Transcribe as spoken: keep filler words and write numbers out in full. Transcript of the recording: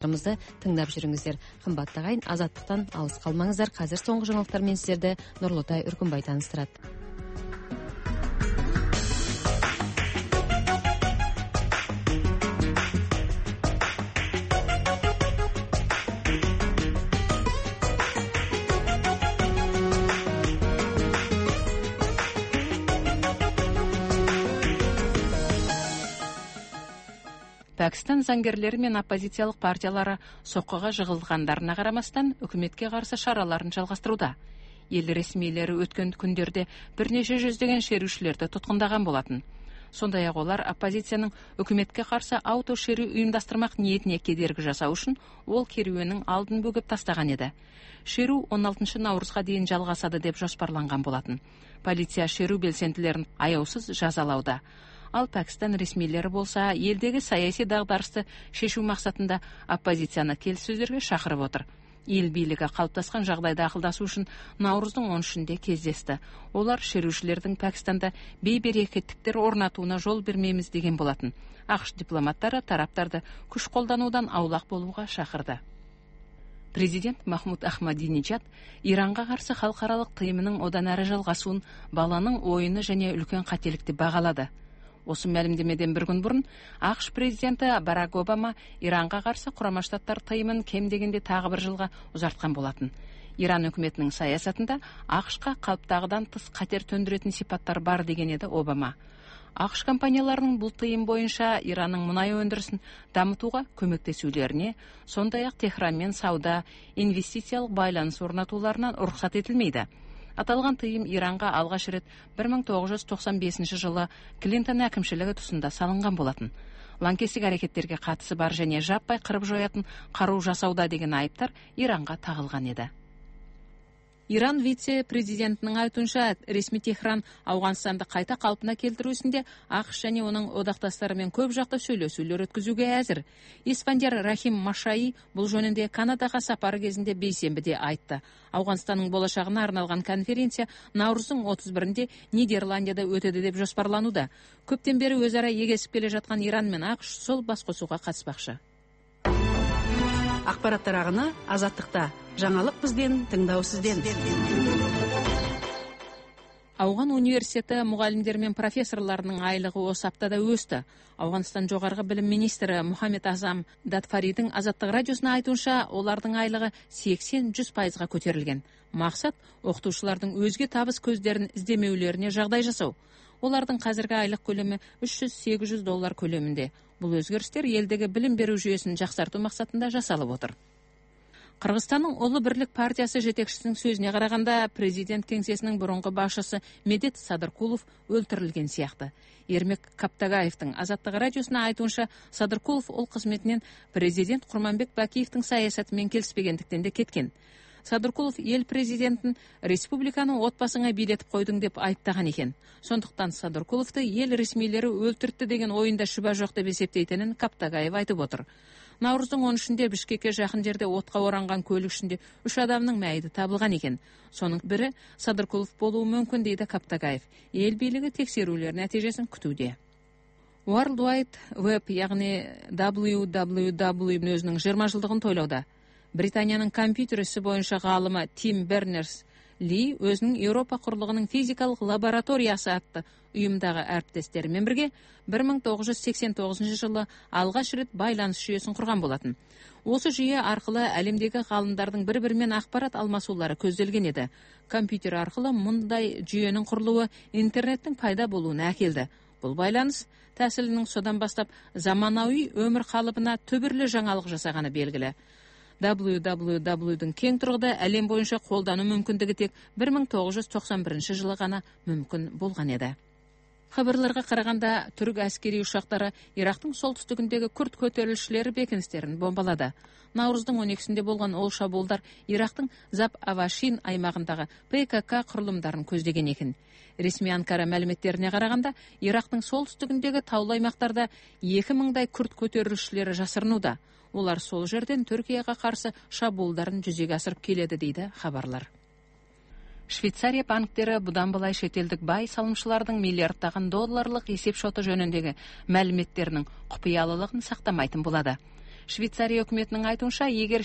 тыңдап жүрүңүздөр. Кымбаттуу агайын, Азаттыктан алыс калмаңыздар. Азыр соңку жаңылыктар менен сиздерди Нурлутай Үркүнбай тааныштырат. Пакистан заңгерлери менен оппозициялык партиялары соккуга жыгылгандарына карамастан өкмөткө каршы шараларын жалгастырууда. Эл ресмийлери өткөн күндөрдө бир нече жүздөгөн шерүүчүлөрдү туткундаган болотун. Сондай эле алар оппозициянын өкмөткө каршы ауто шерүү уюмдастырмак ниетине кедерги жасоо үчүн ол керүүнүн алдын бөгөп тастаган эди. Шерүү он алтынчы наурузга чейин жалгасады деп жоспарланган болотун. Полиция шерүү белсендилерин аяусыз жазалауда. Ал Пакистан ресмийлери болсо элдеги саясий дагдарышты шешүү максатында оппозицияны келиссөздөргө шакырып отур. Эл бийлиги калыптаскан жагдайда акылдашуу үчүн Навруздун он үчүндө кездешти. Олар шерүүчүлөрдүн Пакистанда бейберекеттиктер орнатууна жол бермейбиз деген болотун. АКШ дипломаттары тараптарды күч колдануудан аулак болууга шакырды. Президент Махмуд Ахмадинежад Иранга каршы халкаралык тыйымынын одан ары жалгасуун баланын оюну жана үлкөн кателикти багалады. Осы мәлімдемеден бір күн бұрын АКШ президенті Барак Обама Иранға қарсы Курама Штаттар тыйымын кем дегенде тағы бір жылға ұзартқан болатын. Иран өкіметінің саясатында АКШқа қалыптағыдан тыс қатер төндіретін сипаттар бар деген еді Обама. АКШ компанияларының бұл тыйым бойынша Иранның мұнай өндірісін дамытуға көмектесулеріне, сондай-ақ Техранмен сауда, инвестициялық байланыс орнатуларынан уруксат етілмейді. Аталган тыйым Иранга алгаш рет бир миң тогуз жүз токсон бешинчи жылы Клинтон акимчилиги тусунда салынган болотун. Лаңкестик аракеттерге катысы бар және жаппай кырып жоятын каруу жасауда деген айыптар Иранга тагылган эди. Иран вице-президентинин айтуунча, ресми Техран Ауганстанды кайта калпына келтирүүсүндө АКШ және онун одакташтары менен көп жакты сүйлөшүүлөр өткөзүүгө азыр. Испандияр Рахим Машаи бул жөнүндө Канадага сапары кезинде бейсенбиде айтты. Ауганстандын болочагына арналган конференция Навруздун отуз биринде Нидерландияда өтөдү деп жоспарланууда. Көптөн бери өз ара эгесип келе жаткан Иран менен АКШ сол бас косууга катышпакчы. Акпараттар агыны Азаттыкта. Жаңалык бизден, тыңдоо сизден. Ауган университети мугалимдери менен профессорлорунун айлыгы осы аптада өстү. Ауганстан жогорку билим министри Мухаммед Азам Датфаридин Азаттык радиосуна айтуунча, олардын айлыгы сексен жүз пайызга көтөрүлген. Максат окутуучулардын өзгө табыс көздөрүн издемеулөрүнө жагдай жасоо. Олардын казыркы айлык көлөмү үч жүз сегиз жүз доллар көлөмүндө. Бул өзгөрүштөр элдеги билим берүү жүйөсүн жаксартуу максатында жасалып отур. Кыргызстандын Улуу Бирлик партиясы жетекчисинин сөзүнө караганда, президент кеңсесинин мурунку башчысы Медет Садыркулов өлтүрүлген сыяктуу. Эрмек Каптагаевдин Азаттык радиосуна айтуунча, Садыркулов ол кызметинен президент Курманбек Бакиевдин саясаты менен келишпегендиктен де кеткен. Садыркулов эл президентин республиканы от басыңа бийлетип койдуң деп айыптаган экен. Сондуктан Садыркуловду эл ресмийлери өлтүрттү деген оюнда шүбө жок деп эсептейтинин Каптагаев айтып отур. Навруздун он үчүндө Бишкекке жакын жерде отко оранган көлүк ичинде үч адамдын майыты табылган экен. Сонун бири Садыркулов болуу мүмкүн дейди Каптагаев. Эл бийлиги текшерүүлөр натыйжасын күтүүдө. World Wide Web, ягни дабл ю дабл ю дабл ю өзүнүн жыйырма жылдыгын тойлоодо. Британиянын компьютер исі боюнча гаалымы Тим Бернерс Ли өзүнүн Европа курлугунун физикалык лабораториясы атты уюмдагы әріптестері менен бирге бир миң тогуз жүз сексен тогузунчу жылы алгаш рет байланыш жүйөсүн курган болотун. Осы жүйө аркылы әлемдеги гаалымдардын бири-бири менен акпарат алмасуулары көзделген эди. Компьютер аркылы мындай жүйөнүн курулуу интернеттин пайда болууна әкелди. Бул байланыш тәсилинин содан бастап заманауи өмүр калыбына төбүрлүү жаңалык жасаганы белгиле. дабл ю дабл ю дабл юдун кең тургуда әлем боюнча колдануу мүмкүндүгү тек бир миң тогуз жүз токсон биринчи жылы гана мүмкүн болгон эди. Хабарларга караганда, түрк аскери ушактары Ирактын солтүстүгүндөгү күрд көтөрүлүшчүлөр бекинистерин бомбалады. Навруздун он экисинде болгон ол шабуулдар Ирактын Заб-Авашин аймагындагы Пэ Ка Ка курулумдарын көздөгөн экен. Ресми Анкара маалиметтерине караганда, Ирактын солтүстүгүндөгү таулуу аймактарда эки миңдай күрд көтөрүлүшчүлөр жасырынууда. Олар сол жерден Түркияга каршы шабуулдарын жүзөгө асырып келеди дейди хабарлар. Швейцария банктери будан былай шетелдик бай салымчылардын миллиарддаган долларлык эсеп шоту жөнүндөгү маалиметтеринин купуялуулугун сактамайтын болду. швейцария өкмөтүнүн айтуунча эгер